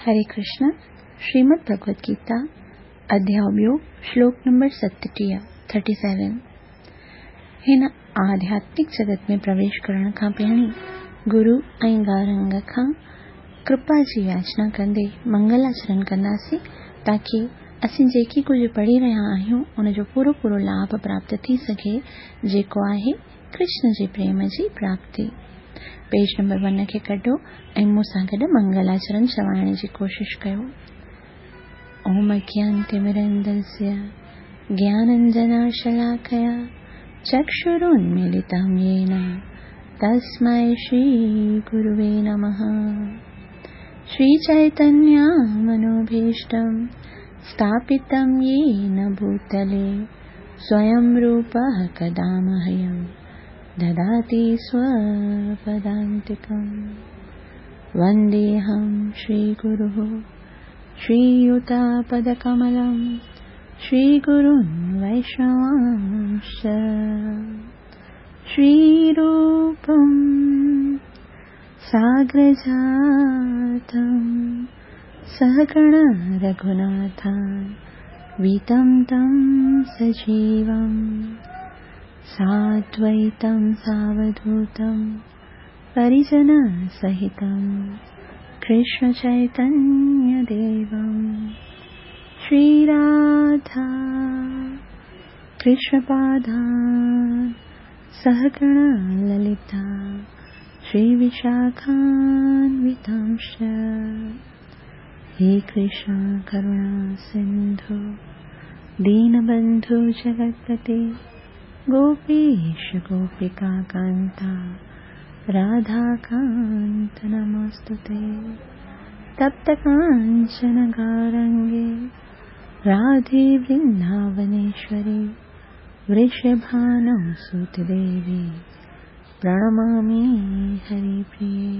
هري ڪرشن، شريمد ڀڳوت گيتا، اڌياء ٻيو، شلوڪ number 37، Thirty Seven. هن آڌياتمڪ جڳت ۾ پرويش ڪرڻ کان پهرين گرو ۽ گارنگ کان ڪرپا جي ياچنا ڪندي منگلاچرن ڪنداسين تاڪي اسين جيڪي ڪجهه پڙهي رهيا آهيون ان جو پورو پورو لاڀ پراپت ٿي سگهي جيڪو آهي ڪرشن جي پريم جي پراپتي. پيج نمبر ون کي ڪڍو ۽ مون سان گڏ منگلاچرن چوائڻ جي ڪوشش ڪيو. اوم اگيانتمرندسيا گياننجناشلاکيا چڪشرونميلتم يين تسمئي شري گروي نمه. شري چيتنيا منوڀيشٽم اسٿاپتم يين ڀوتلي سويم روپه ڪدا مهيم دداتي سوپدانتڪم. ونديهم شري گروः شرييتپدڪملم شري گرون ويشنواंश्च شري روپم ساگرجاتم سهگڻ رگهوناٿانويتم تم سجيوم سادويتم ساوڌوتم پريجن سهتم ڪرشن چيتنيه ديوم شري راڌا ڪرشن پادان سهگڻ للتا شري وشاکانوتانش. هي ڪرشن ڪروڻا سنڌو دينبنڌو جگتپتي گوپيش گوپيڪا ڪانتا راڌا ڪانت نموستتي. تپت ڪانچن گورانگي راڌي ورنداونيشوري ورشڀانو سوت ديوي پرڻمامي هري پريي.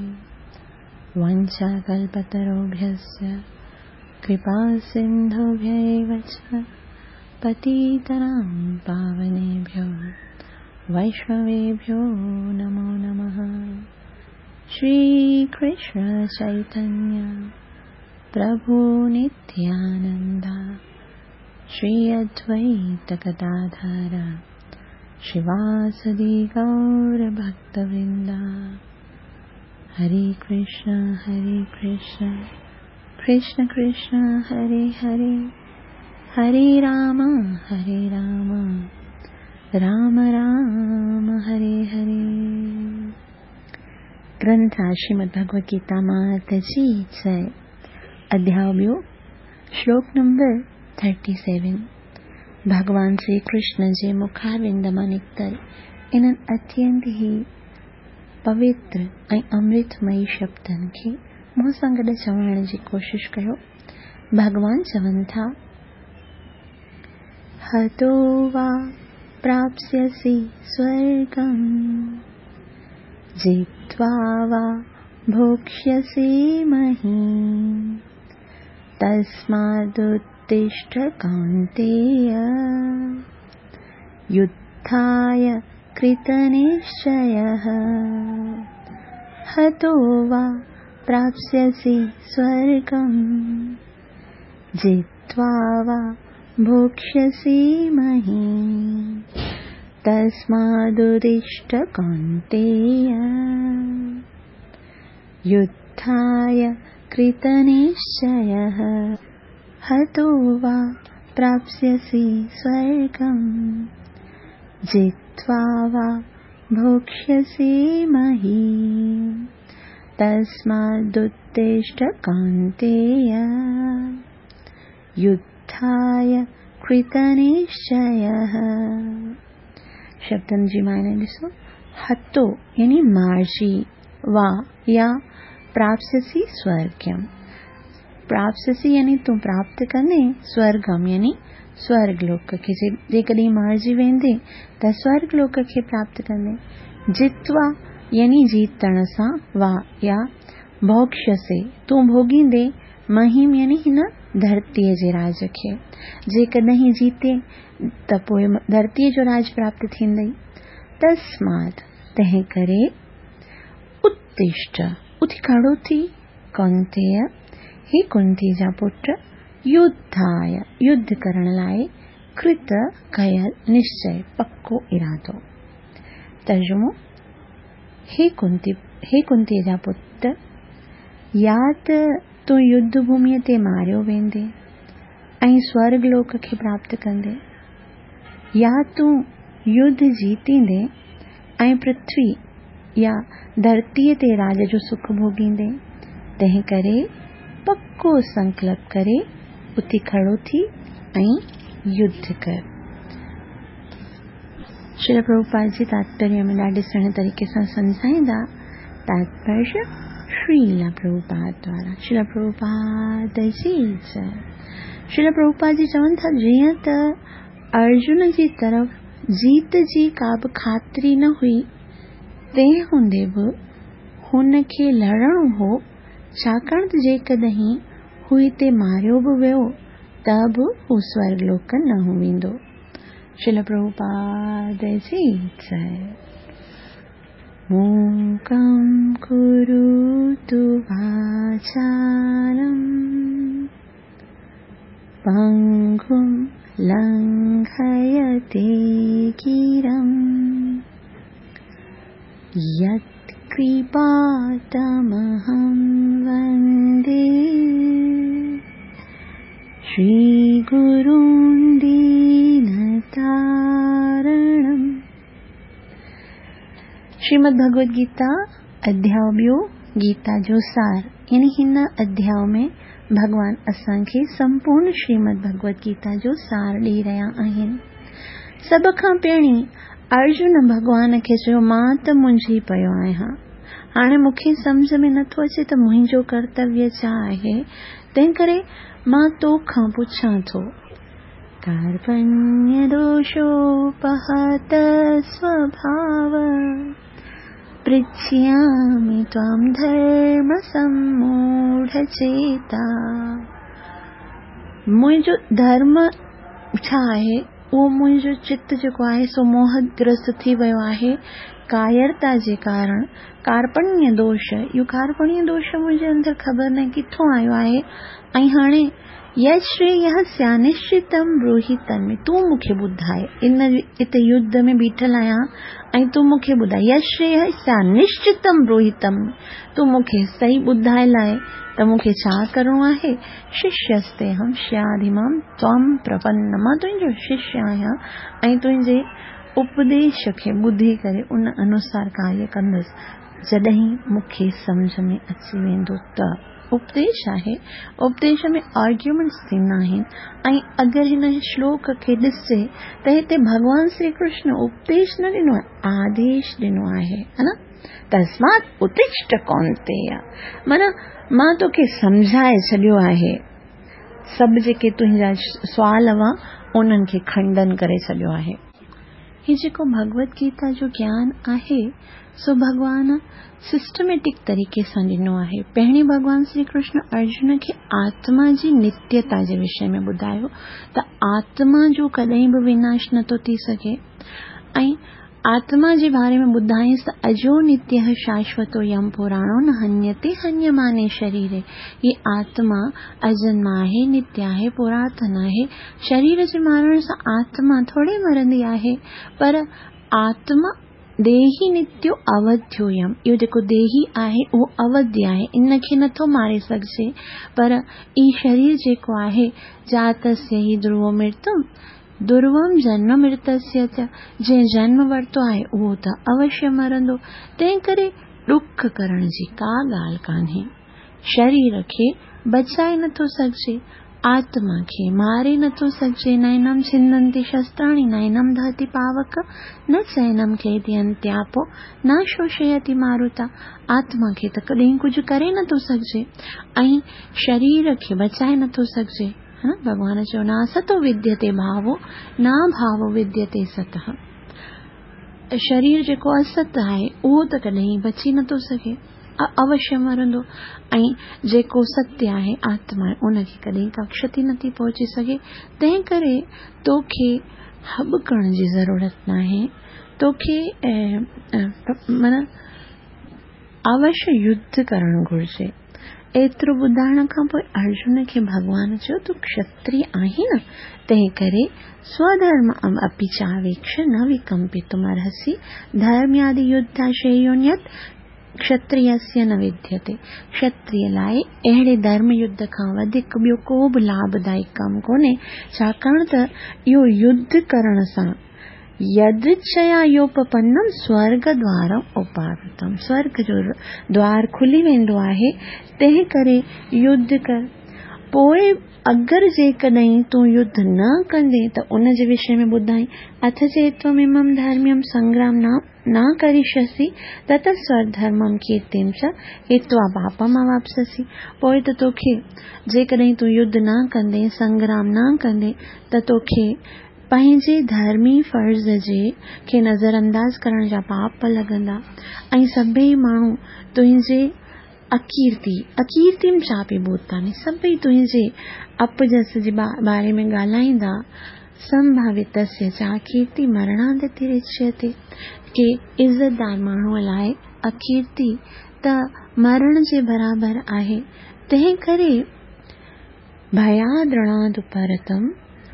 وانڇا ڪلپتروڀيشچ ڪرپا سنڌوڀيو چ پتيترام پاونيڀيو ويشنويڀيو نمو نمه. شري ڪرشن چيتنيه پرڀو نتيانندا شري ادويت گداڌر شريواسدي گور ڀڪتورندا. هري ڪرشن هري ڪرشن ڪرشن ڪرشن هري هري هري رام هري رام رام رام هري هري. گرنٿ آهي شريمد ڀڳوت گيتا مات جي جئي. اڌياء ٻيو، شلوڪ نمبر 37. ڀڳوان شري ڪرشن جي مکاروند مان نڪتل انهن اتينت ئي پوتر ۽ امرتمئي شبدن کي مون سان گڏ چوائڻ جي ڪوشش ڪيو. ڀڳوان چون ٿا، هتو وا پراپسيسي سورگم جتوا وا ڀوڪشيسي مهيم تسمادتشٺ ڪونتيي يڌاي ڪرتنشچيهه. هتو وا پراپسيسي سورگم جتوا وا ڀوڪشيسي مهيم تسمادتشٺ ڪونتيي يڌاي ڪرتنشچيهه. هتو وا پراپسيسي سورگم جتوا وا ڀوڪشيسي مهيم تسمادتشٺ ڪونتيي يڌاي ڪرتنشچيهه. شبدن جي معنيٰ ڏسو. هتو يعني مارجي، وا يا پراپسيسي سورگم. پراپسيسي يعني تون پراپت ڪندين، سورگم يعني سورگ لوڪ کي. جيڪڏهن مارجي ويندين ته سورگ لوڪ کي پراپت ڪندين. جتوا يعني جيتڻ سان، وا يا ڀوڪشيسي تون ڀوڳيندين، مهيم يعني هن ڌرتيء جي راڄ کي. جيڪڏهن جيتين ته پوء ڌرتيء جو راڄ پراپت ٿيندئي. تسمات تنهن ڪري، اتشٺ اٿي کڙو ٿي، ڪونتيي هي ڪنتي جا پٽ، يڌاء، يڌ ڪرڻ لاء، ڪرت، ڪيل، نشچي، پڪو ارادو. ترجمو، هي ڪنتي، هي ڪنتيء جا پٽ، يا ته تون يڌ ڀوميء تي ماريو ويندين ۽ سورڳ لوڪ کي پراپت ڪندين، يا تون يڌ جيتيندين ۽ پرٿوي يا ڌرتيء تي راڄ جو سک ڀوڳيندين، تنهنڪري پڪو سنڪلپ ڪري اٿي کڙو ٿي ۽ يڌ ڪر. شريل پرڀوپاد جي تاتپريه ۾ ڏاڍي سهڻي طريقي سان سمجهائيندا، تاتپريه شريل پرڀوپاد دوارا، شريل پرڀوپاد جي جئه. شريل پرڀوپاد جي چون ٿا جيئن ته ارجن جي طرف جيت جي ڪا به خاطري نه هئي، تنهن هوندي به هن کي لڙڻو هو، ڇاڪاڻ ته جيڪڏهن هو هتي ماريو به ويو ته به هو سورڳ لوڪ نه ويندو. شريل پرڀوپاد جي جئه. موڪم ڪروتو واچالم. پنگم لنگهيتي گرم يت ڪرپا تمهم وندي شري گرون دين تارڻم. شريمد ڀڳوت گيتا اڌياء ٻيو، گيتا جو سار، يعني هن اڌياء ۾ ڀڳوان اسان کي سمپورڻ شريمد ڀڳوت گيتا جو سار ڏئي رهيا آهن. سڀ کان پهرين ارجن ڀڳوان کي چيو مان ته منجهي پيو آهيان. هاڻي مون کي سمجهه ۾ نٿو اچي ته منهنجو ڪرتويه ڇا آهي، تنهنڪري مان تو کان پڇان ٿو. ڪارپڻيه دوشوپهت سوڀاو پرڇيامي توام ڌرم سموڙه چيتا. منهنجو ڌرم ڇا آهي؟ اهو منهنجو چت جيڪو آهي سو موهه گرست ٿي ويو آهي ڪايرتا جي ڪارڻ، ڪارپڻيه دوش، اهو ڪارپڻيه دوش منهنجي اندر خبر ناهي ڪٿون آيو آهي ۽ هاڻي يشرييه سيانشچتم بروهي تنمي، تون مون کي ٻڌاء، ان اتي يڌ ۾ بيٺل آهيان ۽ تون مون کي ٻڌاء، يشرييه سيانشچتم بروهي تنمي، تون مون کي صحيح ٻڌاء لاء ته مون کي ڇا ڪرڻو آهي، ششيستيهم شياديمام توام پرپنم، مان تنهنجو ششيه آهيان ۽ تنهنجي اپديش کي ٻڌي ڪري ان انوسار ڪاريه ڪندس، جڏهن مون کي سمجهه ۾ اچي ويندو ته. اپديش آهي، اپديش ۾ آرگيومينٽس ٿيندا آهن ۽ اگر هن شلوڪ کي ڏسجي ته هتي ڀڳوان شري ڪرشن اپديش نه ڏنو آهي، آديش ڏنو آهي، ها نه؟ تسمات اتشٺ ڪونتيا معنيٰ مان توکي سمجهائي ڇڏيو آهي، سڀ جيڪي تنهنجا سوال هئا انهن کي کنڊن ڪري ڇڏيو آهي. هي جيڪو ڀڳوت گيتا جو گيان آهي سو ڀڳوان سسٽميٽڪ طريقي سان ڏنو آهي. پهرين ڀڳوان شري ڪرشن ارجن کي آتما جي نتيتا جي وشي ۾ ٻڌايو ته آتما جو ڪڏهن به وناش نٿو ٿي سگهي ۽ آتما جي باري ۾ ٻڌائينس ته اجو نتيه شاشوتو يم پراڻو نه هنيتي هنيماني شريري هي آتما اجنما آهي، نتيه آهي، پراتن آهي، شرير جي مارڻ سان آتما ٿوري مرندي آهي پر آتما ديهي نتيو اوڌيو يم اهو جيڪو ديهي آهي اهو اوڌي آهي ان کي نٿو ماري سگهجي پر هي شرير جيڪو آهي جاتسيه هي ڌرو مرتم ڌروم جنم مرتسيه چ جنهن جنم ورتو آهي اهو ته اوشيه مرندو تنهن ڪري ڏک ڪرڻ جي ڪا ڳالهه ڪانهي. شرير کي بچائي نٿو سگهجي، آتما کي ماري نٿو سگهجي، نينم ڇندنتي شستراڻي، نينم دهتي پاوڪ، نه چينم کيدينتياپو، نه شوشيتي ماروتا، آتما کي ته ڪڏهن ڪجهه ڪري نٿو سگهجي ۽ شرير کي بچائي نٿو سگهجي. ڀڳوان چيو، ناستو وديتي ڀاوو، ناڀاوو وديتي ستهه. شرير جيڪو است آهي، اهو ته ڪڏهن بچي نٿو سگهي. اوشيه مرندو ۽ جيڪو ستيه آهي، آتما آهي، ان کي ڪڏهن ڪا ڪشتي نٿي پهچي سگهي. تنهن ڪري توکي هٻڪڻ جي ضرورت ناهي. توکي معنيٰ اوشيه يڌ ڪرڻ گهرجي. ايترو ٻڌائڻ کان پوء ارجن کي ڀڳوان چيو، تون کشتري آهين نه، تنهن ڪري سوڌرم اپي چاويڪش نه وڪمپتم ارهسي، ڌرميادي يڌا شريونيت کشتريسيه نه وديتي. کشتري لاء اهڙي ڌرم يڌ کان وڌيڪ ٻيو ڪو به لاڀدائڪ ڪم ڪونهي، ڇاڪاڻ ته اهو يڌ ڪرڻ سان يدرڇيا يوپپنم سورگ دوارم اپاوتم، سورگ جو دوار کلي ويندو آهي، تنهن ڪري يڌ ڪر. پوء اگر جيڪڏهن تون يڌ نه ڪندين ته ان جي وشي ۾ ٻڌائين، اٿ چيتوم امم ڌرميم سنگرام نه ڪرشيسي تت سوڌرمم ڪيرتيم چ هتوا پاپم اواپسسي، پوء ته توکي جيڪڏهن تون يڌ نه ڪندين، سنگرام نه ڪندين ته توکي پنهنجي ڌرمي فرض جي کي نظرانداز ڪرڻ جا پاپ لڳندا ۽ سڀيئي ماڻهو تنهنجي اڪيرتي، اڪيرتيم چاپي ڀوتاني، سڀئي تنهنجي اپجس جي باري ۾ ڳالهائيندا، سنڀاوتسيه چاڪيرتي مرڻادترچيتي، ڪي عزتدار ماڻهوء لاء اڪيرتي ته مرڻ جي برابر آهي، تنهن ڪري ڀياد رڻاد پرتم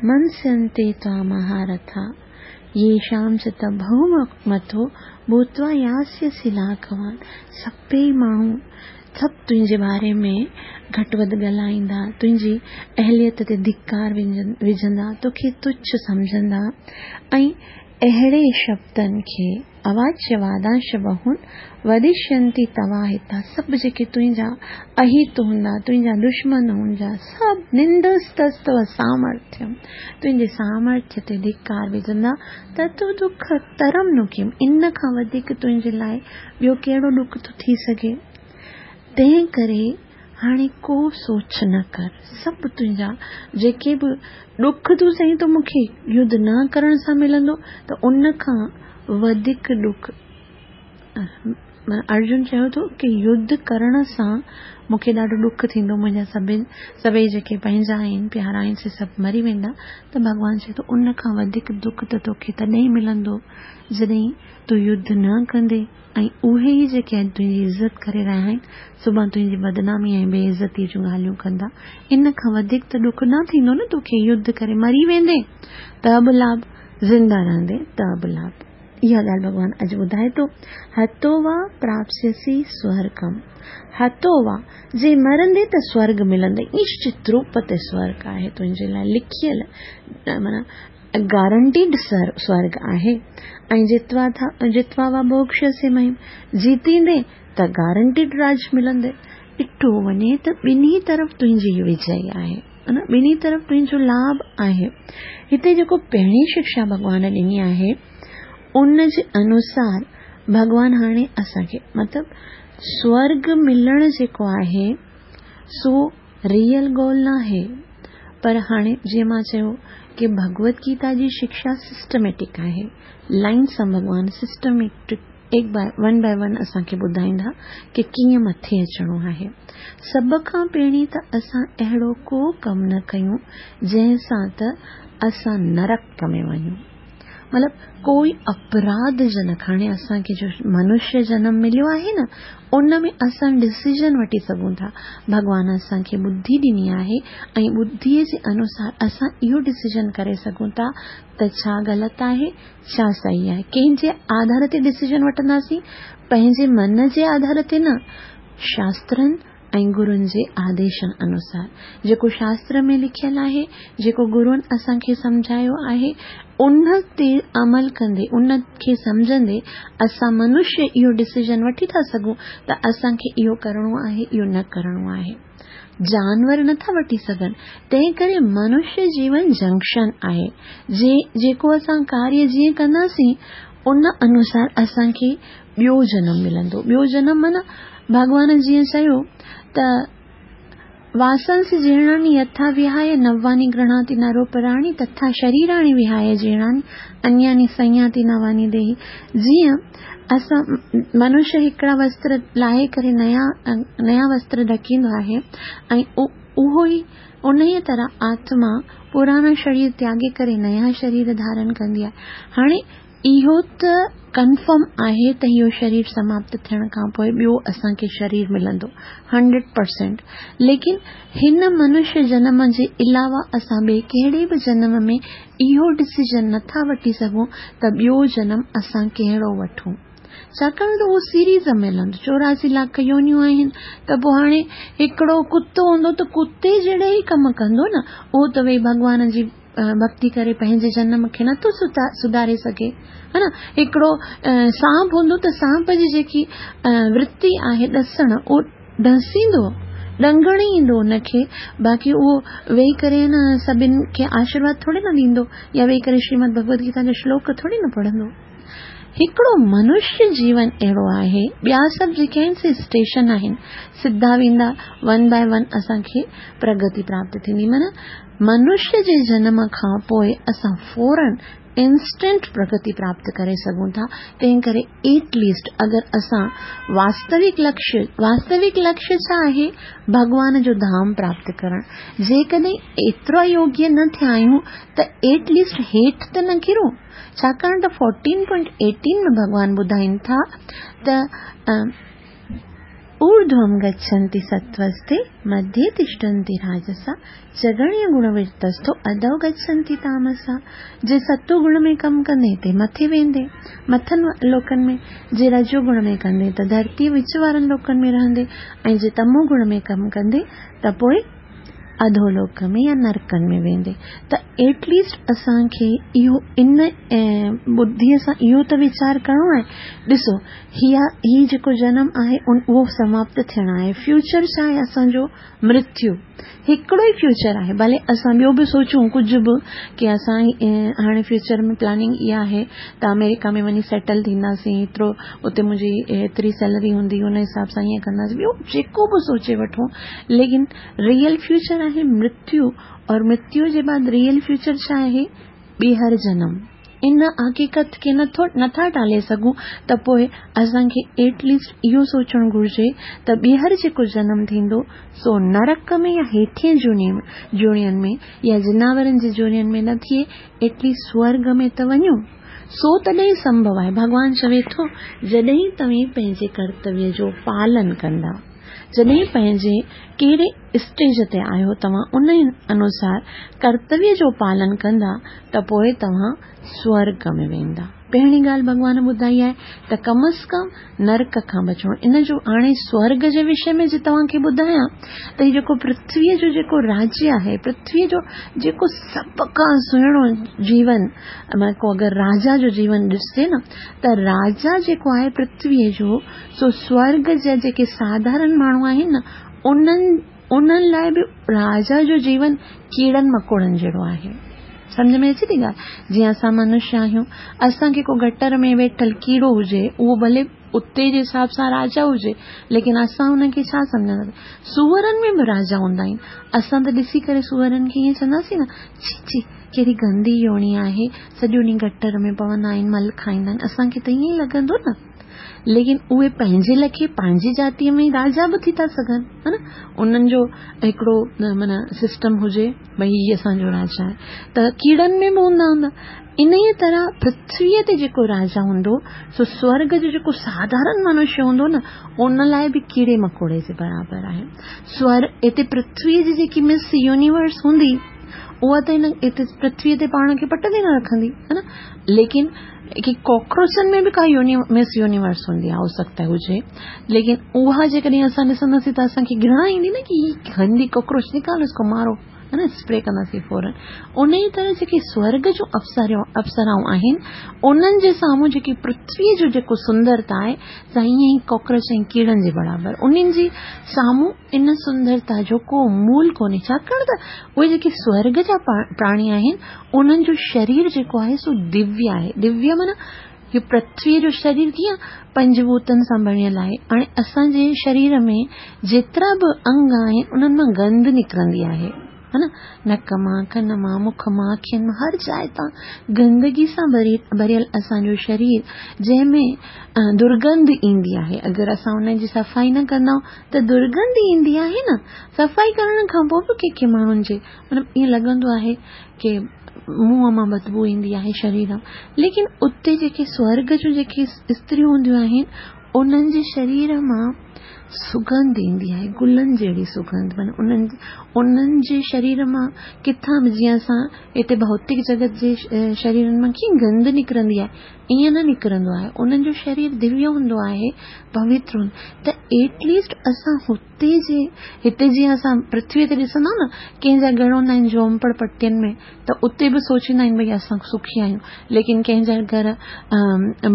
منسينتي توا مهارٿا، ييشام چ ته بهومتو ڀوتوا ياسيسي لاگهوان، سڀئي ماڻهو سڀ تنهنجي باري ۾ گهٽ وڌ ڳالهائيندا، تنهنجي اهليت تي ڌڪار وجهندا، توکي تڇ سمجهندا ۽ اهڙي شبدن کي اواچ وادانش بهون ودشينتي تواهتا، سڀ جيڪي تنهنجا اهيت هوندا، تنهنجا دشمن هوندا، سڀ نندستستو سامرٿيم، تنهنجي سامرٿ تي ڌڪار وجهندا، تتو دک ترم نو ڪيم، ان کان وڌيڪ تنهنجي لاء ٻيو ڪهڙو ڏک ٿو ٿي سگهي؟ تنهن ڪري هاڻي ڪو سوچ نه ڪر، سڀ تنهنجا جيڪي به ڏک تون چئين ٿو مون کي يڌ نه ڪرڻ سان ملندو ته ان کان وڌيڪ ڏک، ارجن چيو ٿو ڪي يڌ ڪرڻ سان مون کي ڏاڍو ڏک ٿيندو، منهنجا سڀئي جيڪي پنهنجا آهن، پيارا آهن، سي سڀ مري ويندا، ته ڀڳوان چئي ٿو ان کان وڌيڪ دک ته توکي تڏهن ملندو جڏهن تون يڌ نه ڪندين ۽ اهي ئي جيڪي اڄ تنهنجي عزت ڪري رهيا آهن، سڀان تنهنجي بدنامي ۽ بي عزتيء جون ڳالهيون ڪندا. ان کان وڌيڪ ته ڏک نه ٿيندو نه توکي، يڌ ڪري مري ويندين ته به لاڀ، زنده رهندين ته به لاڀ. اها ڳالهه ڀڳوان اڄ ٻڌائي ٿو، هتو وا پراپسيسي سورگم، هتو وا، جي مرندين ته سورڳ ملندئي، نشچت روپ تي سورڳ آهي تنهنجي لاء لکيل، معنيٰ گارنٽيڊ سورڳ آهي ۽ جتوا ٿا جتوا وا ڀوڳشيسي مهيم، جيتيندين ته گارنٽيڊ راڄ ملندئي. ڏٺو وڃي ته ٻنهي طرف تنهنجي وجئي آهي، ٻنهي طرف تنهنجو لاڀ آهي. هتي جيڪو پهرين شڪشا ڀڳوان ڏني آهي ان جي انوسار ڀڳوان هاڻي اسان کي مطلب سورڳ ملڻ جيڪو آهي سو ريئل گول ناهي، پر هاڻي جيئن مان چيو ڪي ڀڳوت گيتا جي شڪشا سسٽميٽڪ آهي، لائن سان ڀڳوان سسٽميٽڪ هڪ باء ون باء ون اسان کي ٻڌائيندا ڪي ڪيئن مٿي اچڻو آهي. سڀ کان پهرين ته اسان اهڙو ڪو ڪم نه ڪيون جنهن سان ته اسان نرڪ ۾ وڃون. مطلب ڪوئي اپراڌ جنڪ، هاڻي اسان کي جو منشيه جنم مليو آهي نه ان ۾ اسان ڊسيزن وٺي سگهون ٿا. ڀڳوان اسان کي ٻڌي ڏني آهي ۽ ٻڌيء جي انوسار اسان اهو ڊسيزن ڪري سگهون ٿا ته ڇا غلط آهي ڇا صحيح آهي. ڪنهن جي آڌار تي ڊسيزن وٺنداسين؟ پنهنجي من جي آڌار تي نه، شاسترن ۽ گرن جي آديشن انوسار. جيڪو شاستر ۾ لکيل آهي، جيڪو گرن اسان کي سمجهايو آهي، ان تي عمل ڪندي، ان کي سمجهندي اسان منشيه اهو ڊسيزن وٺي ٿا سگهون ته اسان کي اهو ڪرڻو آهي، اهو نه ڪرڻو آهي. جانور نه ٿا وٺي سگهن. تنهن ڪري منشيه جيون جنڪشن آهي. جيڪو اسان ڪاريه جيئن ڪنداسين، ان انوسار اسان کي ٻيو جنم ملندو. ٻيو جنم معنيٰ ڀڳوان جيئن چيو ته واسنس جيرڻاني يٿا وهاي نواني گرهڻاتي نروپراڻي تٿا شريراڻي وهاي جيرڻاني انياني سنياتي نواني ديهي. جيئن اسان منشيه هڪڙا وستر لاهي ڪري نيا وستر ڍڪيندو آهي ۽ اهو ئي انهيء طرح آتما پراڻا شرير تياڳي ڪري نيا شرير ڌارن ڪندي آهي. هاڻي اهو ته ڪنفرم آهي ته اهو شرير سماپت ٿيڻ کان پوء ٻيو اسان کي شرير ملندو 100% ليڪن هن منشيه جنم جي علاوه اسان ٻئي ڪهڙي به جنم ۾ اهو ڊسيزن نٿا وٺي سگهون ته ٻيو جنم اسان ڪهڙو وٺون. ڇاڪاڻ ته اهو سيريز ۾ هلندو 84 لاک يونيون آهن ته پوء هاڻي هڪڙو ڪتو هوندو ته ڪتي جهڙي ئي ڪم ڪندو نه، اهو ته ويهي ڀڳوان جي ڀڳتي ڪري پنهنجي جنم کي نٿو سڌاري سگهي ها نه. هڪڙو سانپ هوندو ته سانپ جي جيڪي ورتي آهي ڏسڻ، اهو ڏسيندو، ڏنگڻ ئي ايندو ان کي، باقي اهو ويهي ڪري نه سڀن کي آشيرواد ٿوري نه ڏيندو يا ويهي ڪري شريمد ڀڳوت گيتا جو شلوڪ ٿوري نه پڙهندو. هڪڙو منشيه جيون اهڙو آهي، ٻيا سڀ جيڪي آهن سي اسٽيشن آهن، سڌا ويندا ون باء ون اسان کي پرگتي پراپت ٿيندي. معنيٰ منشيه جي جنم کان پوء اسان فورن انسٽنٽ پرگتي پراپت ڪري سگهون ٿا، تنهن ڪري ايٽ ليسٽ اگر اسان واستوڪ لڪشيه، واستوڪ لڪشيه ڇا آهي؟ ڀڳوان جو ڌام پراپت ڪرڻ، جيڪڏهن ايترا يوگيه نه ٿيا آهيون ته ايٽ ليسٽ هيٺ ته نه ڪرون. ڇاڪاڻ ته 14.18 ۾ ڀڳوان ٻڌائين ٿا ته اورڌوم گڇنتي ستوستي مڌي تشٽنتي راجسا جڳڻيه گڻ ورتستو اڌو گڇنتي تامسا. جي ستو گڻ ۾ ڪم ڪندين تي مٿي ويندين مٿن لوڪن ۾، جي رجو گڻ ۾ ڪندين ته ڌرتيء وچ وارن لوڪن ۾ رهندين ۽ جي تمو گڻ ۾ ڪم ڪندين ته پوء اڌولوڪ ۾ يا نرڪن ۾ ويندي. ته ايٽ ليسٽ اسان کي اهو ان ٻڌيء سان اهو ته ويچار ڪرڻو آهي. ڏسو هي هي جيڪو جنم آهي اهو سماپت ٿيڻ آهي. فيوچر ڇا آهي اسان جو؟ مرتيو. هڪڙو ئي فيوچر آهي. ڀلي اسان ٻيو به سوچون ڪجهه به ڪي اسان هاڻي فيوچر ۾ پلاننگ اها آهي ته آمريڪا ۾ وڃي سيٽل ٿينداسين، هيترو اتي منهنجي هيتري سيلري هوندي ان حساب سان ائين ڪنداسين، ٻيو جيڪو به سوچي وٺون، ليڪن ريئل فيوچر آهي مرتيو اور مرتيو جي بعد ريئل فيوچر ڇا آهي؟ ٻيهر جنم. ان حقيقت کي نٿو نٿا ٽالي سگهون ته پوء اسان کي ايٽ ليسٽ اهو سوچڻ گهرجي ته ٻيهر جيڪو جنم ٿيندو سو نرڪ ۾ يا هيٺين جوڻين ۾ يا جناورن جي جوڻين ۾ نه ٿئي، ايٽ ليسٽ سورڳ ۾ ته وڃون. سو تڏهن سنڀو آهي. ڀڳوان چوي ٿو جڏهن توهين پنهنجي ڪرتويه جو پالن ڪندا. جڏهن پنهنجي ڪهڙي اسٽيج تي آهيو توهان ان انوسار ڪرتويه جو پالن ڪندا ته پوء توهان سورڳ ۾ ويندا. پهرين ڳالهه ڀڳوان ٻڌائي آهي ته ڪم از ڪم نرڪ کان بچڻو. ان جو هاڻي سورڳ جي وشي ۾ جي توهان کي ٻڌايان ته هي جيڪو پرٿويء جو جيڪو راجيه آهي، پرٿويء جو جيڪو سڀ کان سهڻو جيون، معنيٰ ڪو اگر راجا جو جيون ڏسجي نه ته راجا جيڪو آهي پرٿويء جو سو سورڳ جا جيڪي ساڌارن ماڻهو آهن نه انهن انهن لاء به راجا جو جيون ڪيڙن مڪوڙن جهڙو آهي. سمجهه ۾ اچي ٿي ڳالهه؟ جيئن اسان منشيه آهيون، اسان کي ڪو گٽر ۾ ويٺل ڪيڙو هجي، اهو ڀلي اتي جي حساب سان راجا هجي، ليڪن اسان ان کي ڇا سمجهنداسين؟ سوئرن ۾ به راجا هوندا آهن. اسان ته ڏسي ڪري سوئرن کي ائين چونداسين نه، ڇي ڇي ڪهڙي گندي يوڻي آهي، سڄو ڏينهن گٽر ۾ پوندا آهن، مل کائيندا آهن، اسان کي ته ائين ئي لڳندو نه. ليڪن اهي پنهنجي لکي پنهنجي جاتيء ۾ راجا به ٿي ٿا سگهن ها نه، انهن جو هڪڙو معنيٰ سسٽم هجي ڀئي هي اسان جو راجا آهي ته ڪيڙن ۾ به هوندا هوندا. انهيء طرح پرٿويء تي جيڪو راجا هوندو سو سورڳ جو جيڪو ساڌارن منشيه هوندو نه ان لاء به ڪيڙي مڪوڙي جي برابر آهي. سور هتي پرٿويء جي جيڪي مس يونيورس هوندي اها ته هن هتي پرٿويء تي پاڻ کي پٽ تي نه رکندي ها نه، ليڪن ڪي ڪاڪروچن ۾ به ڪا مس يونيورس هوندي آهي، هو سگهتا هجي، ليڪن اها جيڪڏهن اسان ڏسنداسين ته اسان کي گهرڻا ايندي نه ڪي هي گندي ڪاڪروچ نڪالو اس ڪو مارو ها نه، اسپري ڪنداسين فورن. انهيء طرح جيڪي سورڳ جون اپسرائون آهن انهن جي سامهون جيڪي پرٿويء جو جيڪو سندرتا آهي سا ائين ئي ڪاڪروچ ۽ ڪيڙن جي برابر، انهن جي سامهون ان سندرتا جو ڪو مول ڪونهي، ڇاڪاڻ ته اهي جيڪي سورڳ جا پراڻي آهن انهن جو شرير جيڪو آهي سو دويه آهي. دويه معنيٰ هي پرٿويء جو شرير ڪيئن پنج ڀوتن سان بڻيل آهي. هاڻي اسان جي شرير ۾ جيترا به انگ آهن انهن مان گند نڪرندي آهي. ها نه نڪ مان، ڪن مان، مک مان، اکين مان، هر جاء تان گندگي سان ڀريل اسان جو شرير جنهن ۾ درگنڌ ايندي آهي. اگر اسان ان جي صفائي نه ڪندا ته درگنڌ ايندي آهي نه. صفائي ڪرڻ کان پوء به ڪنهن ڪنهن ماڻهن جي مطلب ائين لڳندو آهي ڪي منهن مان بدبو ايندي آهي شرير مان. ليڪن اتي جيڪي سورڳ جون جيڪي استريون هونديون آهن انهن جي شرير مان سڳنڌ ايندي آهي، گلن جهڙي سڳنڌ. معنيٰ انهن جي شرير مان ڪٿان به جيئن اسان هتي ڀوتڪ جڳت جي شريرن مان ڪيئن گند نڪرندي آهي، ائين نه نڪرندو آهي. انهن جو شرير دويه هوندو آهي، پوتر هوندو. ته ايٽ ليسٽ اسان هتي جي هتي جيئن اسان پرٿويء تي ڏسندا نه ڪنهن جا گهر هوندا آهن جهومپڙ پٽين ۾ ته اتي به سوچيندا آهن ڀئي اسان سکي آهيون، ليڪن ڪنهن جا گهر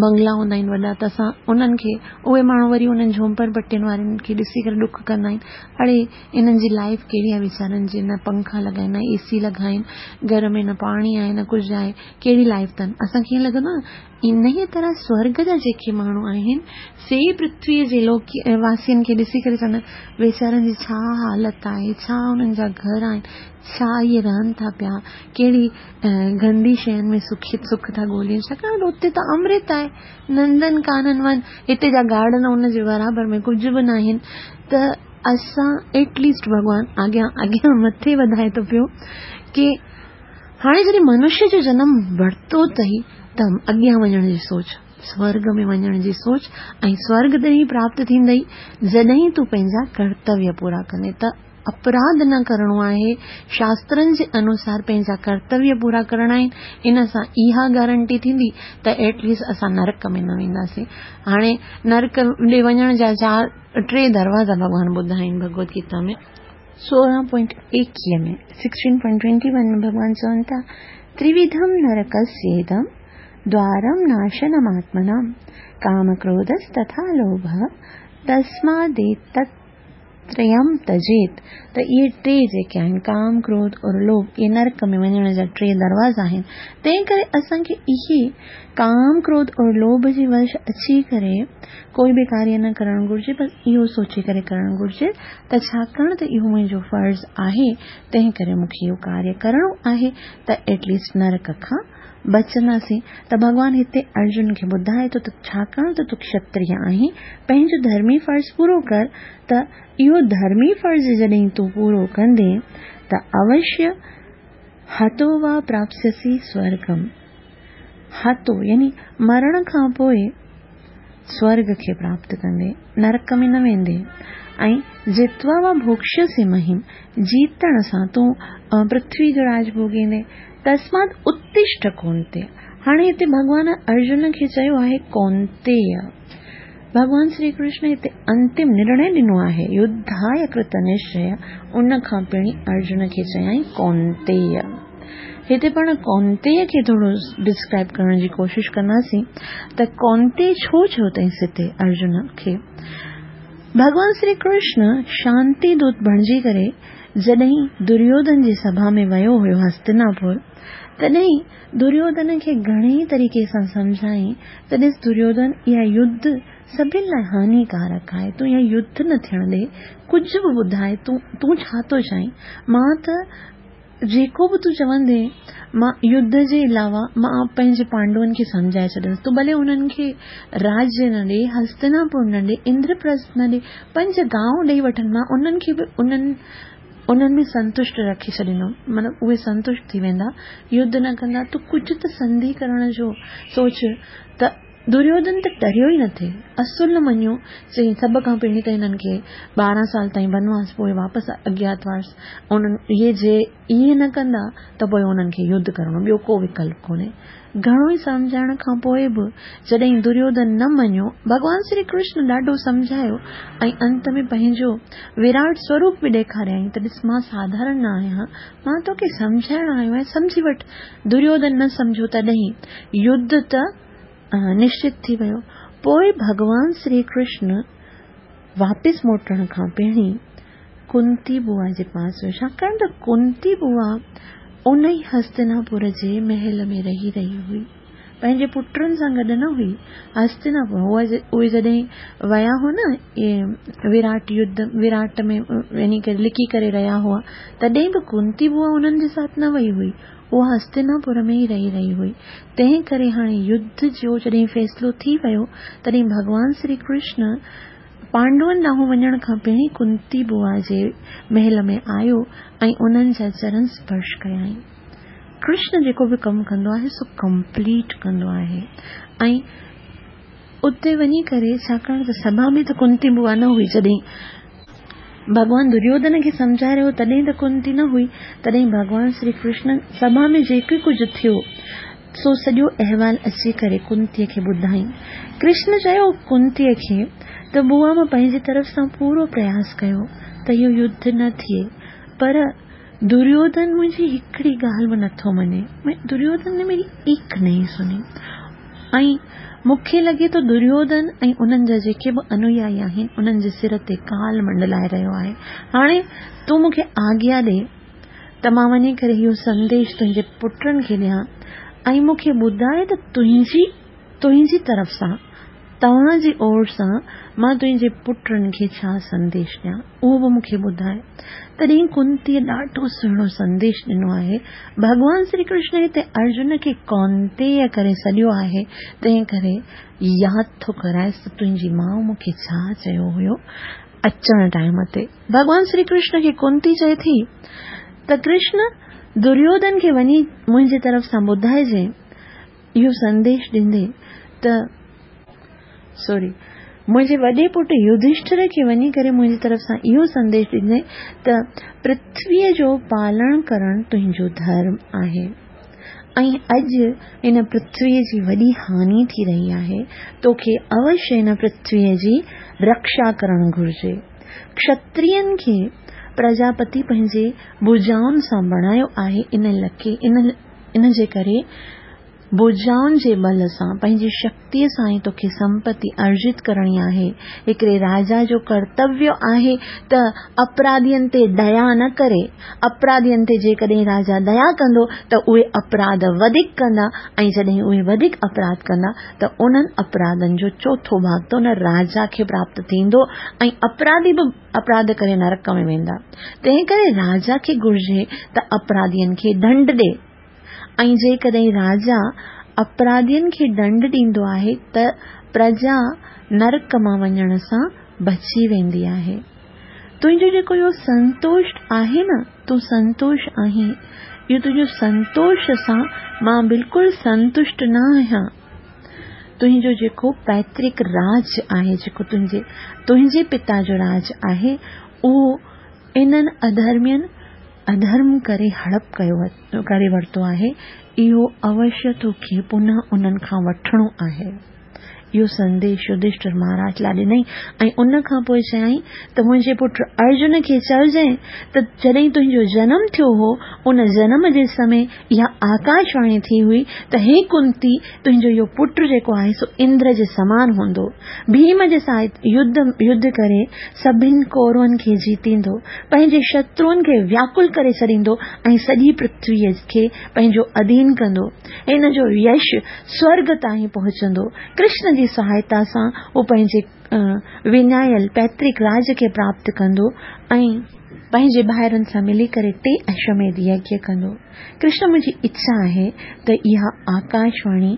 بنگلا هوندا آهن وڏا ته اسان انهن کي اهي ماڻهو وري انهن جهومپڙ پٽين وارن کي ڏسي ڪري ڏک ڪندا آهن، اڙي انهن جي لائيف ڪهڙي آهي ويچارن جي، نه پنکا لڳا آهن نه اي سي لڳا آهن، گهر ۾ نه پاڻي آهي نه ڪجهه آهي، ڪهڙي لائيف اٿن. اسان کي ائين لڳندو آهي نه. انهيء طرح سورڳ جا جيڪي ماڻهو آهن، سي پرٿويء جي لوڪ واسين کي ڏسي ڪري چوندا آهن، ويچارن جي ڇا حالت آهي، ڇا انهن جا گهر آهن، ڇا اهي رهن ٿا پيا، ڪهڙي گندي شين ۾ سک ٿا ڳولين، ڇاڪاڻ ته اتي ته امرت آهي، نندن ڪانن ون، هتي جا گارڊن ان جي برابر ۾ ڪجهه به ناهن، ته اسان ايٽ ليسٽ ڀڳوان اڳيان اڳيان مٿي وڌائي ٿو پيو ڪي هاڻي جڏهن منشيه جو جنم ورتو اٿئي ته اڳيان وڃڻ جي سوچ، سورڳ ۾ وڃڻ جي سوچ ۽ سورڳ تڏهن ئي پراپت ٿيندئي جڏهن تون پنهنجا ڪرتويه پورا ڪندين ته اپراڌ نه ڪرڻو آهي، شاسترن جي انوسار پنهنجا ڪرتويه پورا ڪرڻا آهن، ان سان اها گارنٽي ٿيندي ته ايٽ ليسٽ اسان نرڪ ۾ نه وينداسين. هاڻي نرڪ ڏي وڃڻ جا چار ٽي دروازا ڀڳوان ٻڌايا آهن ڀڳوت گيتا ۾. سورهن پوائنٽ ايڪيهه ۾، 16.21 ۾، ڀڳوان چون ٿا، تروڌم نرڪسيدم دوارم ناشنم آتمنام ڪام ڪروڌستٿا لوڀ تسماديتت تريم تجيت. ته اهي ٽي جيڪي آهن ڪام، ڪروڌ اور لوڀ، اهي نرڪ ۾ وڃڻ جا ٽي دروازا آهن. تنهن ڪري اسان کي اهي ڪام، ڪروڌ اور لوڀ جي وش اچي ڪري ڪوئي به ڪاريه نه ڪرڻ گهرجي، بس اهو سوچي ڪري ڪرڻ گهرجي ته ڇاڪاڻ ته اهو منهنجو فرض آهي، تنهن ڪري مون کي اهو ڪاريه ڪرڻو آهي ته ايٽ ليسٽ نرڪ کان بچنداسين. ته ڀڳوان هتي ارجن کي ٻڌائي ٿو ته ڇاڪاڻ ته تون کشتريه آهين، پنهنجو ڌرمي فرض پورو ڪر ته اهو ڌرمي فرض جڏهن تون پورو ڪندين ته اوشيه هتو وا پراپسيسي سورگم. هتو يعني مرڻ کان پوء سورڳ کي پراپت ڪندين، نرڪ ۾ نه ويندين ۽ جتوا وا ڀوڪشيسي مهيم، جيتڻ سان تون پرٿوي جو راڄ ڀوڳيندين، تسمات اتشٺ ڪونتيه. هاڻي هتي ڀڳوان ارجن کي چيو آهي ڪونتيه. ڀڳوان شري ڪرشن هتي انتم نرڻي ڏنو آهي، يڌايه ڪرت نشچيه، ان کان پهرين ارجن کي چيائين ڪونتيه. هتي پاڻ ڪونتيه کي ٿورو ڊسڪرائب ڪرڻ جي ڪوشش ڪنداسين ته ڪونتيه ڇو چيو اٿائينس هتي ارجن کي. ڀڳوان شري ڪرشن شانتي دوت بڻجي ڪري جڏهن دريوڌن جي سڀا ۾ ويو هيو هستناپور تڏهن دريوڌن کي گهڻي ئي طريقي سان سمجهايائين ته ڏس دريوڌن اها يڌ سڀن لاء هانيڪارڪ آهي تون اها يڌ نه ٿيڻ ڏي ڪجهه به ٻڌاء تون تون ڇا ٿو چاهين مان ته جيڪو به تون چوندين مان يڌ جي علاوه مان پنهنجي پانڊون کي سمجهائي ڇڏندس تون ڀلي انهن کي راجيه نه ڏي هستناپور نه ڏي اندرپرسٿ نه ڏي پنج گانو ڏئي وٺن مان انهن کي به انهن انهن ۾ سنتشٽ رکي ڇڏيندم، مطلب اهي سنتشٽ ٿي ويندا، يڌ نه ڪندا، تون ڪجهه ته سنڌي ڪرڻ جو سوچ ته دريوڌن ته ٽريو ئي نه ٿي، اصل نه مڃيو، چيائين سڀ کان پهرين ته هنن کي 12 سال تائين بنواس پوء واپس اگياتواس، انهن اهي جي ائين نه ڪندا ته پوء انهن کي يڌ ڪرڻو ٻيو ڪو وڪلپ ڪونهي. گهڻو ئي سمجهائڻ کان پوء به جڏهن دريوڌن نه مڃيو، ڀڳوان شري ڪرشن ڏاڍو سمجهايو ۽ انت ۾ پنهنجو وراٽ سوروپ به ڏيکاريائين ته ڏس مان ساڌارڻ نه آهيان، مان توکي سمجهائڻ آيو آهيان، سمجهي وٺ. دريوڌن نه سمجهيو تڏهن يڌ ته نشچت ٿي ويو. پوء ڀڳوان شري ڪرشن واپس موٽڻ کان پهرين ڪنتي بوا جي پاس ويو، ڇاڪاڻ ته ڪنتي بوا ان ئي هستناپور جي محل ۾ رهي رهي هئي. پنهنجي پٽن سان گڏ نه هئي. هستناپور اهي جڏهن ويا هئا نه وراٽ يڌ وراٽ ۾ وڃي ڪري لڪي ڪري رهيا هئا تڏهن به ڪنتي بوا انهن جي ساٿ نه وئي هئي. اها هستناپور ۾ ئي رهي رهي هئي. تنهن ڪري هاڻي يڌ جو جڏهن فيصلو ٿي ويو تڏهن ڀڳوان شري ڪرشن پانڊون ڏانهن وڃڻ کان پهرين ڪنتي بوا جي محل ۾ آيو ۽ انهن جا چرن سپرش ڪيائين. ڪرشن جيڪو به ڪم ڪندو آهي سو ڪمپليٽ ڪندو آهي ۽ اتي وڃي ڪري ڇاڪاڻ ته سڀا ۾ ته ڪنتي بوا نه هئي جڏهن ڀڳوان دريوڌن کي سمجهائي رهيو تڏهن ته ڪنتي نه هئي تڏهن ڀڳوان شري ڪرشن سڀا ۾ جيڪي ڪجهه ٿيو سو سڄو احوال اچي ڪري ڪنتي کي ٻڌائين. ڪرشن چيو ڪنتي کي ته بوا مان پنهنجي طرف سان پورو پرياس ڪيو ته اهو يڌ نه ٿئي پر دريوڌن منهنجي هڪڙي ڳالهه به نٿو مڃي. دريوڌن ني ميري ايڪ نهين سني. ۽ مون کي لڳي ٿو دريوڌن ۽ انهن جا جيڪي به انويائي آهن انهن جي سر تي ڪال منڊلائي رهيو آهي. هاڻي تون مون کي آگيا ڏي ته مان وڃي ڪري اهو سنديش تنهنجي پٽن کي ڏيان ۽ مون کي ٻڌاء ته تنهنجي تنهنجي طرف سان، توهان جي اور سان، مان تنهنجي پٽن کي ڇا سنديش ڏيان، اهو به مون کي ٻڌاء. تڏهن ڪنتيء ڏاڍو سهڻو سنديش ڏنو آهي. ڀڳوان شري ڪرشن هتي ارجن کي ڪونتيء ڪري سڏيو آهي، تنهن ڪري ياد ٿو ڪرائيس ته تنهنجي ماء مون کي ڇا چيو هيو اچڻ ٽائيم تي. ڀڳوان شري ڪرشن کي ڪنتي چئي ٿي ته ڪرشن، دريوڌن کي وڃي منهنجي طرف سان ٻڌائجين، اهو سنديش ڏيندي ته سوري منهنجي وڏي پٽ يڌشٺر کي وڃي ڪري منهنجي طرف سان اهو سنديش ڏيندي ته پرٿويء جو پالڻ ڪرڻ تنهنجو ڌرم آهي ۽ اڄ هن پرٿويء جي وڏي هاني ٿي رهي آهي توکي اوشيه هن پرٿويء جي رڪشا ڪرڻ گهرجي. ڪشترين کي پرجاپتي پنهنجي ڀجائن سان بڻايو آهي ان لکي ان ان جي ڪري ڀجائن جي ٻل سان، پنهنجي شڪتيء سان ئي توکي سمپتي ارجت ڪرڻي آهي. هڪڙي راجا جو ڪرتويه آهي ته اپراڌين تي ديا نه ڪري. اپراڌين تي جيڪڏهن راجا ديا ڪندو ته اهي اپراڌ وڌيڪ ڪندا ۽ جڏهن اهي وڌيڪ اپراڌ ڪندا ته انهن اپراڌن جو چوٿون ڀاڳ ته ان راجا کي پراپت ٿيندو ۽ اپراڌي به اپراڌ ڪري نرڪ ۾ ويندا. تنهنڪري راجا کي گهرجي ته اپراڌين کي ڏنڊ ڏي ۽ جيڪڏهن راجا اپراڌين کي ڏنڊ ڏيندو آهي ته پرجا نرڪ مان وڃڻ سان بچي ويندي آهي. تنهنجو جيڪو اهو سنتوش آهي نه، تون سنتوش آهين، اهو تنهنجو سنتوش سان مان بلڪل سنتشٽ نه آهيان. تنهنجو جيڪو پئترڪ راج آهي، جيڪو تنهنجي تنهنجي پتا جو راج آهي، اهو انهن اڌرمين اڌرم ڪري هڙپ ڪيو ڪري ورتو آهي، اهو اوشيه توکي پنهه انهن کان وٺڻو آهي. اهو سنديش يڌشٺر مهاراج لاء ڏنائين ۽ ان کان پوء چيائين ته منهنجي پٽ ارجن کي چئجانء ته جڏهن تنهنجو جنم ٿيو هو، ان جنم جي سمي اها آڪاشواڻي ٿي هئي ته هي ڪنتي تنهنجو اهو پٽ جيڪو آهي سو اندر جي سمان هوندو. ڀيم جي ساٿ يڌ يڌ ڪري سڀن ڪورون کي جيتيندو، پنهنجي شترون کي وياڪل ڪري ڇڏيندو ۽ سڄي پرٿويء کي پنهنجو اڌين ڪندو. هن جو يش سورڳ تائين پهچندو. ڪرشن جي سهائتا سان هو پنهنجي وڃايل پئترڪ راج کي پراپت ڪندو ۽. پنهنجي ڀائرن سان ملي ڪري ٽي اشوميڌ يگيه ڪندو. ڪرشن منهنجي اڇا آهي ته اها آڪاشواڻي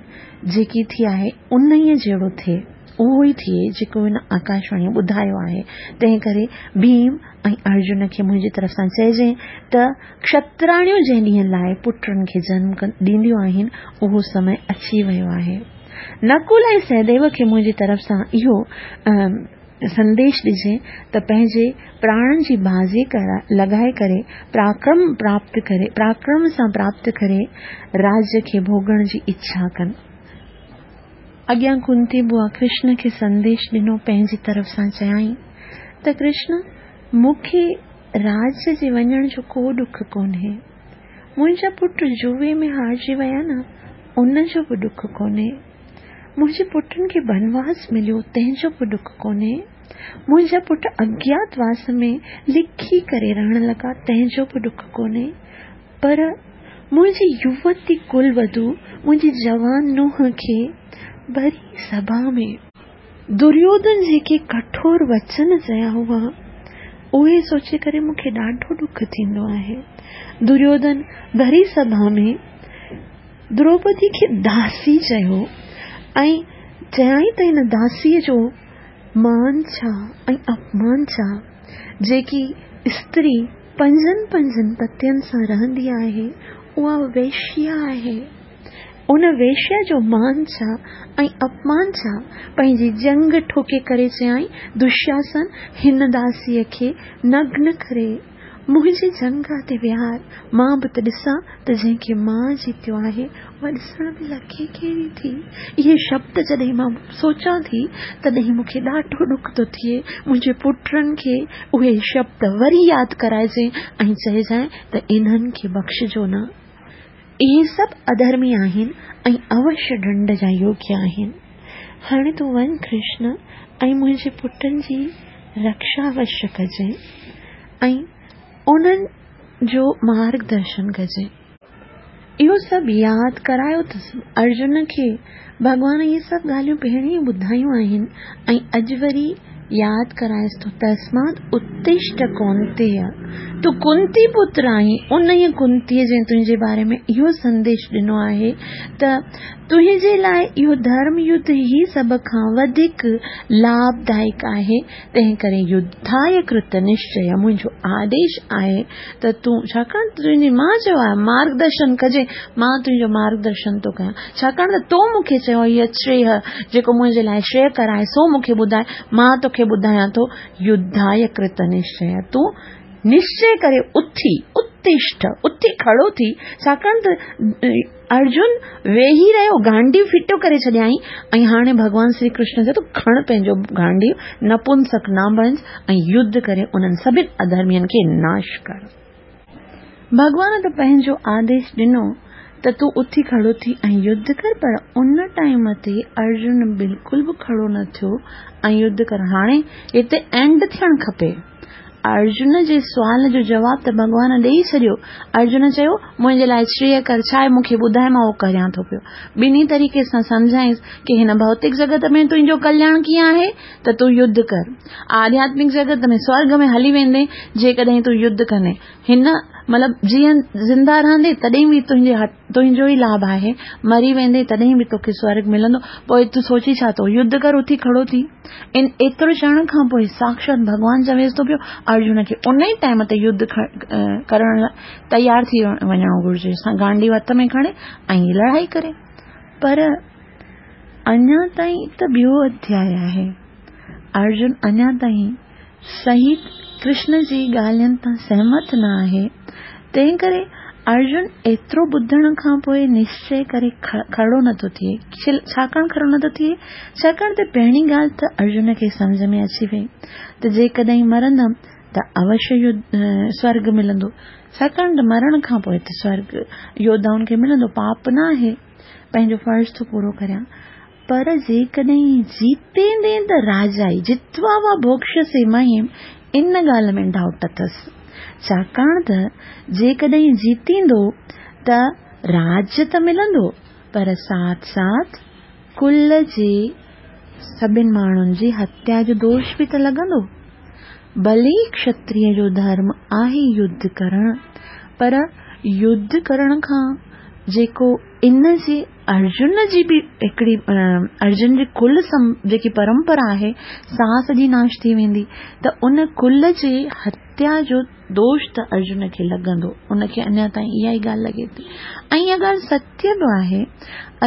جيڪي ٿي آهي انهيء جهڙو ٿئي، اهو ئي ٿئي جيڪو هن آڪاشواڻيء ٻڌايو آهي. تنهن ڪري ڀيم ۽ ارجن کي منهنجي طرف سان چئجانء ته کشتراڻيون جنهن ڏينهن لاء پٽن کي جنم ڏينديون آهن، اهو سمي اچي ويو آهي. نڪول ۽ سهديو کي منهنجي طرف سان اهو سنديش ڏجين ته پنهنجي پراڻن جي بازي لڳائي ڪري پراڪرم پراپت ڪري پراڪرم سان پراپت ڪري راڄ کي ڀوڳڻ جي اڇا ڪن. اڳيان ڪنتي بوا ڪرشن کي سنديش ڏنو پنهنجي طرف سان چيائين ته ڪرشن مون کي راڄ جي وڃڻ جو ڪو ڏک ڪونهي. منهنجا پٽ جوئي ۾ هارجي ويا نه ان جو به ڏک ڪونهي. منهنجي پٽن کي بنواس مليو تنهن جو به ڏک ڪونهي. منهنجا پٽ اگيات واس ۾ لکي ڪري رهڻ لڳا تنهن جو به ڏک ڪونهي. پر منهنجي يووتي ڪل وڌو، منهنجي جوان نونهن کي ڀري سڀا ۾ دريوڌن جيڪي ڪٺور وچن چيا هئا، اهي سوچي ڪري مون کي ڏاڍو ڏک ٿيندو آهي. دريوڌن ڀري سڀا ۾ دروپدي کي داسي چيو ۽ چيائين ته هن داسيء جو مان ڇا ۽ اپمان ڇا؟ جيڪي استري پنجن پنجن پتين سان رهندي آهي، اها ويشيا آهي. ان ويشيا جو مان ڇا ۽ اپمان ڇا؟ پنهنجي ڄنگهه ٺوڪي ڪري چيائين، دشاسن، هن داسيء کي نگن ڪري منهنجي ڄنگهه تي ويهار، مان به ته ڏسان ته جنهن کي مان جيتيو آهي، اها ڏسڻ ۾ لڳي ڪهڙي ٿي؟ اهي شبد جڏهن مان سوچان ٿي، تڏهن مون کي ڏاڍو ڏک ٿو ٿئي. منهنجي پٽن کي اهي شبد وري ياد ڪرائجانء ۽ چئجانء ته انهن کي بخشجو نه. اهي سڀ اڌرمي آهن ۽ اوشيه ڏنڊ جا يوگيه آهن. هاڻي تون وڃ ڪرشن ۽ منهنجي پٽن جي رڪشا اوشيه ڪجانء ۽ انهن جو مارگ درشن ڪجانء. اهو سڀ ياد ڪرايو اٿس. ارجن کي ڀڳوان اهي سڀ ڳالهيون پهرين ئي ٻڌايون آهن ۽ اڄ وري ياد ڪرائيس ٿو، تسمات اتشٺ ڪونتيه، تون ڪنتي پتر آهين، انهيء ڪنتيء جنهن تنهنجي باري ۾ اهو سنديش ڏنو آهي ته تنهنجي لاء اهو ڌرم يڌ ئي سڀ کان وڌيڪ لاڀدائڪ آهي، تنهن ڪري يڌاء ڪرت نشچيه، منهنجو آديش آهي ته تون، ڇاڪاڻ ته تنهنجي ماء چيو آهي، مارگدرشن ڪجي، مان تنهنجو مارگدرشن ٿو ڪيان، ڇاڪاڻ ته تو مون کي چيو هي شريه، جيڪو منهنجي لاء شريڪر آهي، سو مون کي ٻڌاء، مان توکي ٻڌايان ٿو، يڌاء ڪرت نشچيه، تون نشچي ڪري اٿي، اتشٺ، اٿي کڙو ٿي، ڇاڪاڻ ته ارجن ويهي رهيو، گانڊيو ڦٽو ڪري ڇڏيائين ۽ هاڻي ڀڳوان شري ڪرشن چئي ٿو، کڻ پنهنجو گانڊيو، نپنسڪ نه بڻج ۽ يڌ ڪري انهن سڀن اڌرمين کي ناش ڪر. ڀڳوان ته پنهنجو آديش ڏنو ته تون اٿي کڙو ٿي ۽ يڌ ڪر پر ان ٽائيم تي ارجن بلڪل به کڙو نه ٿيو ۽ يڌ ڪرڻ هاڻي هتي اينڊ ٿيڻ کپي. ارجن جي سوال جو جواب ته ڀڳوان ڏيئي ڇڏيو. ارجن چيو، منهنجي لاء شريه ڪر ڇا آهي مون کي ٻڌاء مان اهو ڪريان ٿو پيو. ٻنهي طريقي سان سمجهائينس ڪي هن ڀوتڪ جڳت ۾ تنهنجو ڪلياڻ ڪيئن آهي ته تون يڌ ڪر. آڌياتمڪ جڳت ۾ سورڳ ۾ هلي ويندين جيڪڏهن تون يڌ ڪندين. هن مطلب جيئن زنده رهندين تڏهن به تنهنجي تنهنجو ئي لاڀ آهي، مري ويندين تڏهن به توکي سورڳ ملندو، پوء تون سوچين ڇا ٿو؟ يڌ ڪر اٿي کڙو ٿي. ان ايترو چوڻ کان پوء ساڪشات ڀڳوان چويس ٿو پيو ارجن کي ان ئي ٽائيم تي يڌ ڪرڻ لاء تيار ٿي وڃڻو گهرجي، گانڊيو هٿ ۾ کڻي ۽ لڙائي ڪري. پر اڃا تائين ته ٻيو اڌياء آهي. ارجن اڃا تائين صحيح ڪرشن جي ڳالهين تان سهمت نه آهي، تنهن ڪري ارجن ايترو ٻڌڻ کان پوء نشچي ڪري کڙو نه ٿو ٿئي. ڇاڪاڻ کڙو نه ٿو ٿئي؟ ڇاڪاڻ ته پهرين ڳالهه ته ارجن کي سمجهه ۾ اچي وئي ته جيڪڏهن مرندم ته اوشيه سورڳ ملندو، ڇاڪاڻ ته مرڻ کان پوء ته سورڳ يوڌائن کي ملندو، پاپ نه آهي، پنهنجو فرض ٿو پورو ڪريان. پر جيڪڏهن جيتيندين ته راجائي، جتوا وا ڀوڳشسي مهيم، ان ڳالهه ۾ ڊائوٽ اٿس. ڇاڪاڻ ته جيڪڏهن جيتيندو ته راڄ ته ملندو پر ساٿ ساٿ ڪل جي سڀن ماڻهن جي هتيا جو دوش به ته لڳندو. ڀلي کشتريه جو ڌرم آهي يڌ ڪرڻ پر يڌ ڪرڻ کان جيڪو ان جي ارجن جي به هڪڙي ارجن جي ڪل جيڪي پرمپرا آهي سا سڄي ناش ٿي ويندي ته ان ڪل جي هتيا جو دوش ته ارجن کي لڳندو ان کي اڃا تائين اها ئي ڳالهه لڳي ٿي ۽ اها ڳالهه ستيه به آهي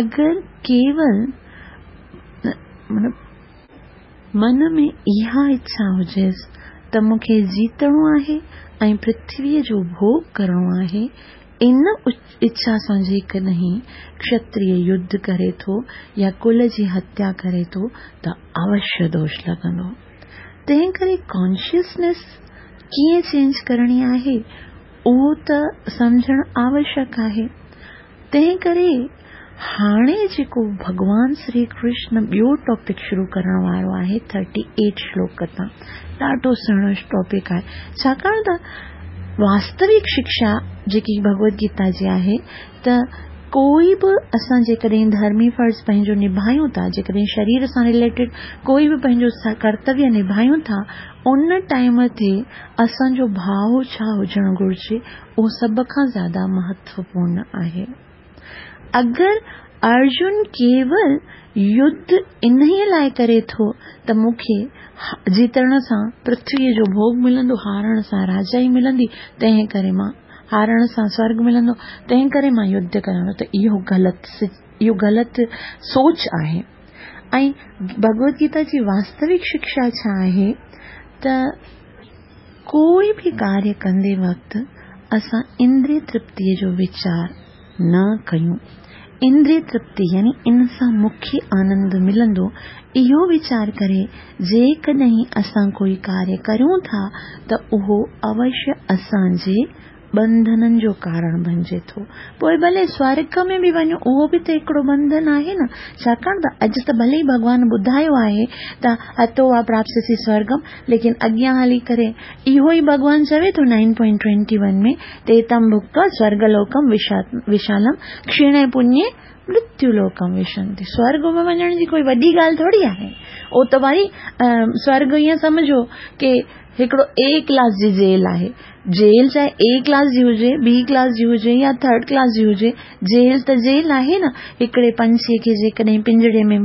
اگر ڪيول من ۾ اها اڇا هجيس ته مون کي جيتڻو آهي ۽ پرٿويء جو ڀوڳ ڪرڻو آهي، ان اڇا سان جيڪڏهن کشتريه يڌ ڪري ٿو يا ڪل جي هتيا ڪري ٿو ته اوشيه دوش لڳندو. تنهن ڪري ڪانشسنيس ڪيئن چينج ڪرڻي آهي، اهو ته سمجهڻ آوشيڪ آهي. تنهن ڪري هاڻي جيڪو ڀڳوان شري ڪرشن ٻيو ٽاپڪ شروع ڪرڻ وارو آهي ٿرٽي ايٽ شلوڪ تان ڏاڍو سهڻو ٽاپڪ آهي ڇاڪاڻ ته واستوڪ شڪشا جيڪي ڀڳوت گيتا جي آهي ته ڪوئي به اسان جيڪڏهن ڌرمي فرض پنهنجو نڀايون ٿا، جيڪڏهن شرير سان رليٽيڊ ڪوئي به پنهنجو ڪرتويه نڀايون ٿا، ان ٽائيم تي اسان جو ڀاء ڇا هجڻ گهرجي، اهو سڀ کان زياده مهتوپورڻ آهي. اگر ارجن ڪيول يڌ انهيء لاء ڪري ٿو ته مون کي جيتڻ سان پرٿويء جو ڀوڳ ملندو، هارڻ سان راجائي ملندي، تنهن ڪري مان هارڻ سان سورڳ ملندو، تنهن ڪري مان يڌ ڪريان ٿو ته اهو غلط اهو غلط سوچ آهي. ۽ ڀڳوت گيتا جي واستوڪ شڪشا ڇا آهي ته ڪوئي به ڪاريه ڪندي وقت اسان اندري ترپتيء جو ويچار نه ڪيون. اندري ترپتي يعني ان سان مون کي آنند ملندو، اهو ويچار ڪري جيڪڏهن اسان ڪوئي ڪاريه ڪريون ٿا ته اهو اوشيه اسان جي ٻنڌنن جو ڪارڻ بنجي ٿو. پوء ڀلي سورڳ ۾ به وڃون اهو به ته هڪڙو ٻنڌن آهي نه. ڇاڪاڻ ته اڄ ته ڀلي ئي ڀڳوان ٻڌايو آهي ته هتو وا پراپسيسي سورڳم ليڪن اڳيان هلي ڪري اهو ئي ڀڳوان چوي ٿو نائن پوائنٽ ٽوئنٽي ون ۾ تي تم ڀڪتوا سورڳ لوڪم وشالم ڪشيڻي پڃي مرتيو لوڪم وشنتي. سورڳ ۾ وڃڻ جي ڪوئي وڏي ڳالهه ٿوري آهي. اهو ته وري سورڳ ائين سمجهو ڪي هڪڙو اي ڪلاس جي جيل آهي. جيل چاهي اي ڪلاس جي هجي، بي ڪلاس جي هجي يا ٿرڊ ڪلاس جي هجي، جيل ته جيل آهي نه. هڪڙي پنڇيء کي جيڪڏهن پڃري ۾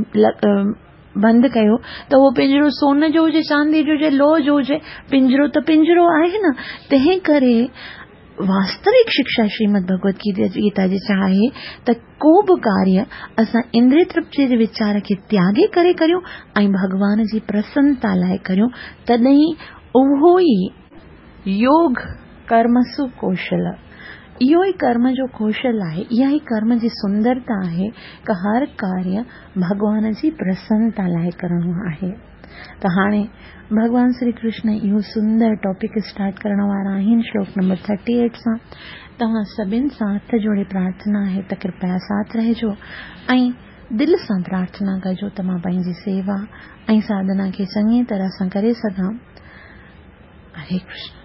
بند ڪيو ته اهو پڃرو سون جو هجي، چانديء جو هجي، لوهه جو هجي، پڃرو ته پڃرو آهي نه. تنهن ڪري واستوڪ شڪشا شريمد ڀڳوت گيتا جي ڇا آهي ته ڪو به ڪاريه اسان اندري ترپتيء جي ويچار کي تياڳي ڪري ڪريون ۽ ڀڳوان جي پرسنتا لاء ڪريون تڏهن اهو ئي يوگ ڪرمسو ڪوشل اهو ئي ڪرم جو ڪوشل آهي اها ئي ڪرم جي سندرتا آهي ته هر ڪاريه ڀڳوان جي پرسنتا لاء ڪرڻو آهي. ته هاڻي ڀڳوان شري ڪرشن اهو سندر ٽاپڪ اسٽارٽ ڪرڻ وارا آهن شلوڪ نمبر ٿرٽي ايٽ سان. توهان سڀن سان هٿ جوڙي پرارٿنا آهي ته ڪرپيا ساٿ رهجو ۽ دل سان پرارٿنا ڪجو ته مان پنهنجي سيوا ۽ ساڌنا کي چڱي طرح سان ڪري سگهان. هري ڪرشن.